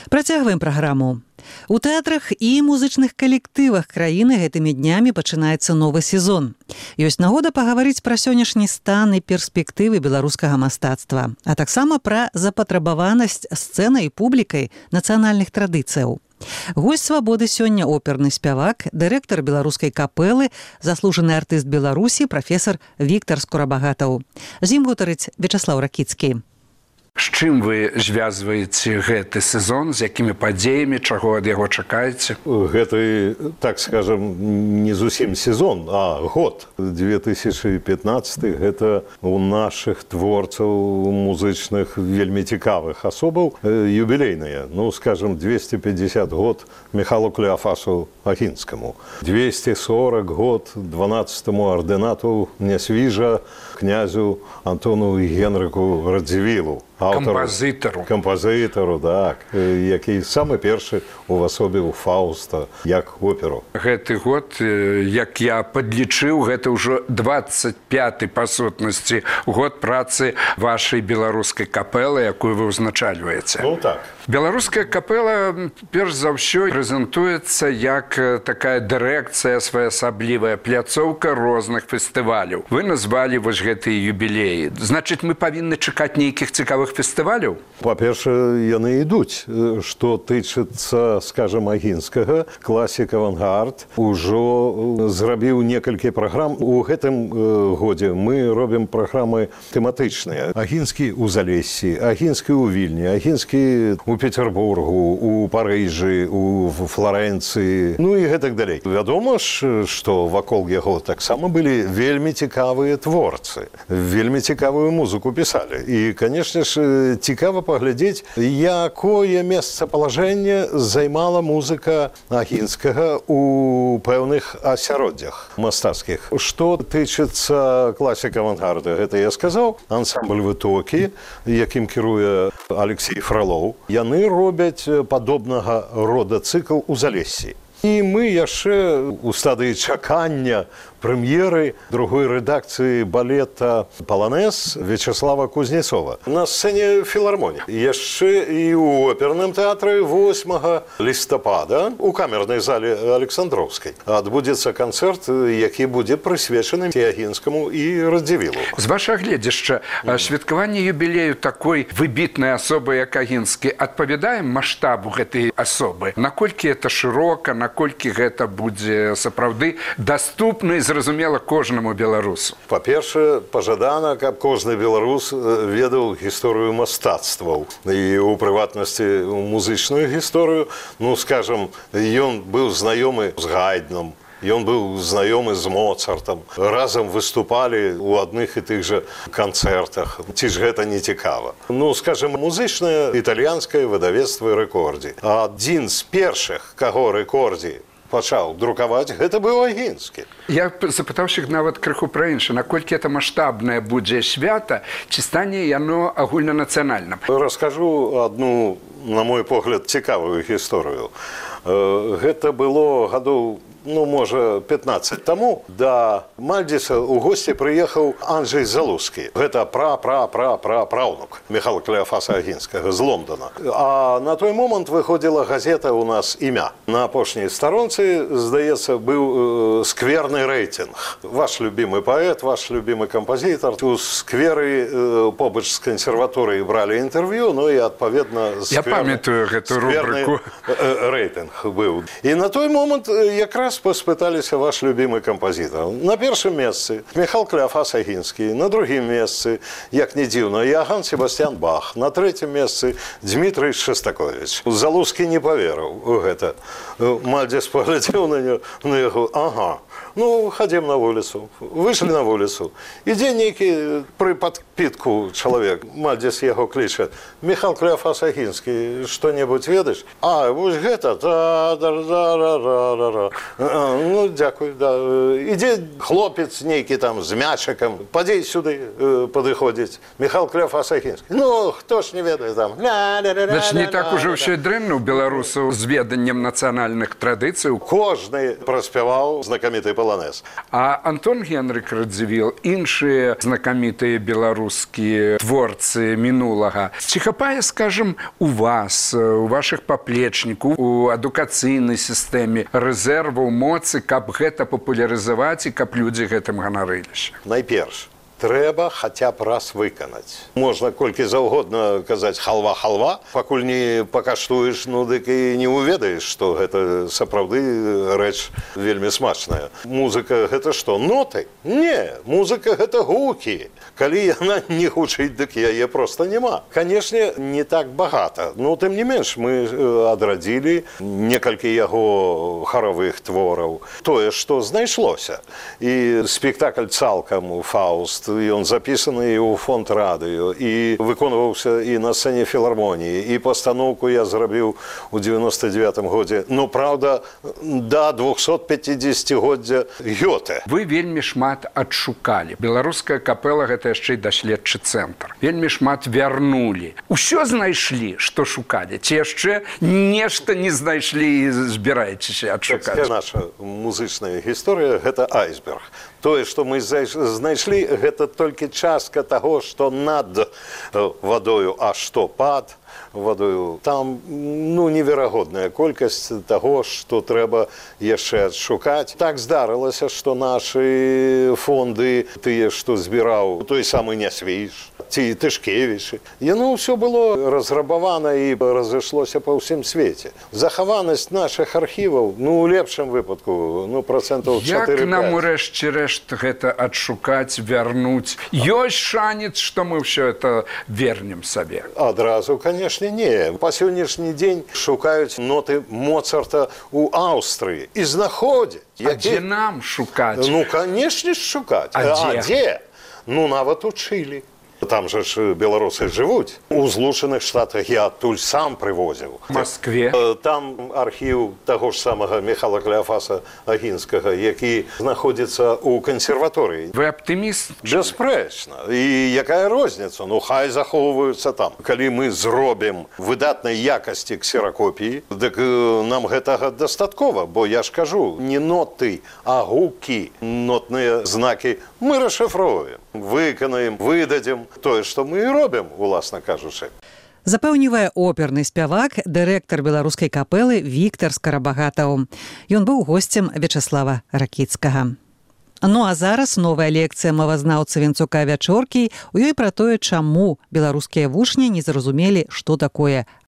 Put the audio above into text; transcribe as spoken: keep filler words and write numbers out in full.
Працягваем праграму. У тэатрах і музычных калектывах краіны гэтымі днямі пачынаецца новы сезон. Ёсць нагода пагаварыць пра сённяшні стан і перспектывы беларускага мастацтва, а таксама пра запатрабаванасць сцэнай і публікай нацыянальных традыцыяў. Госць «Свабоды» сёння оперны спявак, дырэктар беларускай капэлы, заслужаны артыст Беларусі, прафесар Віктар Скурабагатаў. З ім гутарыць Вячаслаў Ракіцкі. З чым вы звязваеце гэты сезон, з якімі падзеямі, чаго ад яго чакаеце? Гэты, так скажем, не зусім сезон, а год. две тысячы пятнаццаты гэта у нашых творцаў музычных вельмі цікавых асобаў юбілейныя. Ну, скажем, двести пятьдесят год Михалу Клеафасу Агінскаму, двести сорок год дванаццатаму ардынату Нясвіжа князю Антону Генрыку Радзівілу. Кампазітару. Кампазітару, так. Які самы першы увасобіў Фауста як оперу. Гэты год, як я падлічыў, гэта ўжо двадцать пяты па сутнасці год працы вашай беларускай капэлы, якую вы ўзначальваеце. Ну так. Беларуская капэла, перш за ўсё, прэзентуецца як такая дырэкцыя, своеасаблівая пляцоўка розных фестываляў. Вы назвалі вось гэтыя юбілеі. Значыць, мы павінны чакаць нейкіх цікавых фестываляў? Па-першае, яны ідуць. Што тычыцца, скажем, Агінскага, класік «Авангард» ужо зрабіў некалькі праграм. У гэтым годзе мы робім праграмы тэматычныя. Агінскі ў Залессі, Агінскі ў Вільні, Агінскі у Петербургу, у Парыжы, у Флорэнцыі, ну і гэтак далей. Вядома ж, што вакол яго таксама былі вельмі цікавыя творцы, вельмі цікавую музыку пісалі. І, канешне ж, цікава паглядзець, якое месцапалажэнне займала музыка Агінскага у пэўных асяроддзях мастацкіх. Што тычыцца класіка авангарда, гэта я сказаў, ансамбль «Вытокі», якім кіруе Алексей Фролоў. Яны робяць падобнага рода цыкл у Залессі. І мы яшчэ у стадыі чакання прэм'еры другой рэдакцыі балета «Паланез» Вячаслава Кузнецова на сцэне філармоніі. Яшчэ і ў оперным тэатры восьмага лістапада у камернай зале Александроўскай адбудзецца канцэрт, які будзе прысвечаны Агінскаму і Радзівілу. З вашага гледзяшча, святкаванне юбілею такой выбітнай асобы, як Агінскі, адпавядае маштабу гэтай асобы? Наколькі гэта шырока, наколькі гэта будзе сапраўды даступна і зразумела кожнаму беларусу? Па-першае, пажадана, каб кожны беларус ведаў гісторыю мастацтваў і ў прыватнасці музычную гісторыю. Ну, скажам, ён быў знаёмы з Гайдном, ён быў знаёмы з Моцартам, разам выступалі ў адных і тых жа канцэртах. Ці ж гэта не цікава? Ну, скажем, музычнае італьянскае выдавецтва «Рэкордзі». Адзін з першых, каго «Рэкордзі» пачаў друкаваць, гэта быў Агінскі. Я запытаўся нават крыху пра інше, наколькі это маштабнае будзе свята, ці стане яно агульнанацыянальным? Раскажу адну, на мой погляд, цікавую гісторыю. Гэта было гадоў, ну, можа, пятнаццаць таму да Мальдзіса ў госці прыехаў Анджэй Залузскі. Гэта пра-пра-пра-пра-праўнук Михала Клеафаса Агінскага з Лондона. А на той момант выходзіла газета ў нас «Імя». На апошняй старонцы, здаецца, быў э, скверны рэйтынг. Ваш любімы паэт, ваш любімы кампазітар. У скверы э, побач з кансерваторыяй бралі інтэрв'ю, ну і, адпаведна, скверны, я памятаю гэту рубрыку. Э, рэйтынг быў. І на той момант якраз паспыталіся ваш любімы кампазітар. На першым месцы Михал Клеафас Агінскі, на другім месцы, як не дзіўна, Іоганн Себастьян Бах, на трэцім месцы Дмітрый Шастаковіч. Залузскі не паверыў у гэта. Мальдзіс паглядзеў на яго, ага, ну, хадзім на вуліцу. Выйшлі на вуліцу. Ідзе нейкі пры падпітку чалавек. Мальдзіс яго кліча. Михал Клеафас Агінскі, што-небудзь ведаеш? А, вось гэта, та-да-да-да-да-да. Ну, дзякуй, да. Ідзе хлопец нейкі там з мячыкам, падзей сюды падыходзіць. Михал Клеафас Агінскі. Ну, хто ж не ведае там? Значит, не так уже ўсё і дрэнна ў беларусаў з веданнем нацыянальных традыцый. Кожны праспяваў знакаміты паланез. полонез. А Антон Генрык Радзівіл, іншыя знакамітыя беларускія творцы мінулага, ці хапае, скажем, у вас, у вашых паплечнікаў, у адукацыйнай сістэме рэзерваў, моцы, каб гэта папулярызаваць і каб людзі гэтым ганарыліся? Найперш, трэба хаця б раз выканаць. Можна колькі заўгодна казаць халва-халва, пакуль не пакаштуеш, ну дык і не ўведаеш, што гэта сапраўды рэч вельмі смачная. Музыка гэта што, ноты? Не, музыка гэта гукі. Калі яна не гучыць, дык яе проста няма. Канешне, не так багата. Ну, тым не менш, мы адрадзілі некалькі яго харавых твораў. Тое, што знайшлося. І спектакль цалкам «Фауст», ён запісаны і ў фонд радыё, і выконваўся і на сцэне філармоніі, і пастаноўку я зрабіў у девяносто девятым годзе. Ну, праўда, да двухсотпятидесятигоддзя Гёте. Вы вельмі шмат адшукалі. Беларуская капэла — гэта яшчэ і даследчы цэнтр. Вельмі шмат вярнулі. Усё знайшлі, што шукалі? Ці яшчэ нешта не знайшлі і збіраецеся адшукаць? Наша музычная гісторыя — гэта айсберг. Тое, што мы знайшлі, гэта толькі частка таго, што над вадою, а што пад вадою. Там, ну, неверагодная колькасць таго, што трэба яшчэ адшукаць. Так здарылася, што нашы фонды, тыя, што збіраў той самы Нясвіж, ці Тышкевічы, яно ўсё было разрабавана і разышлося па ўсім свеце. Захаванасць нашых архіваў, ну, у лепшым выпадку, ну, працэнтаў чатыры-пяць. Як нам урэшце рэшт гэта адшукаць, вярнуць? Ёсць шанец, што мы ўсё это вернем сабе? Адразу, канешне, не. Па сённяшні дзень шукаюць ноты Моцарта ў Аўстрыі і знаходзяць. А дзе нам шукаць? Ну, канешне ж, шукаць. А дзе? А дзе? Ну, нават у Чылі. Там жа ж беларусы жывуць. У Злучаных Штатах я адтуль сам прывозіў. В Маскве? Там архіў таго ж самага Міхала Кляафаса Агінскага, які знаходзіцца ў кансерваторыі. Вы аптыміст? Бясспрэчна. І якая розніца? Ну, хай захоўваюцца там. Калі мы зробім выдатнай якасці ксеракопіі, дык нам гэтага дастаткова, бо я ж кажу, не ноты, а гукі, нотныя знакі мы расшыфроўваем, выканаем, выдадзім тое, што мы і робім, уласна кажучы. Запэўнівае оперны спявак, дырэктар беларускай капэлы Віктар Скарабагатаў. Ён быў госцем Вячаслава Ракіцкага. Ну а зараз новая лекцыя мовазнаўца Венцука Вячоркі, у ёй пра тое, чаму беларускія вучні не зразумелі, што такое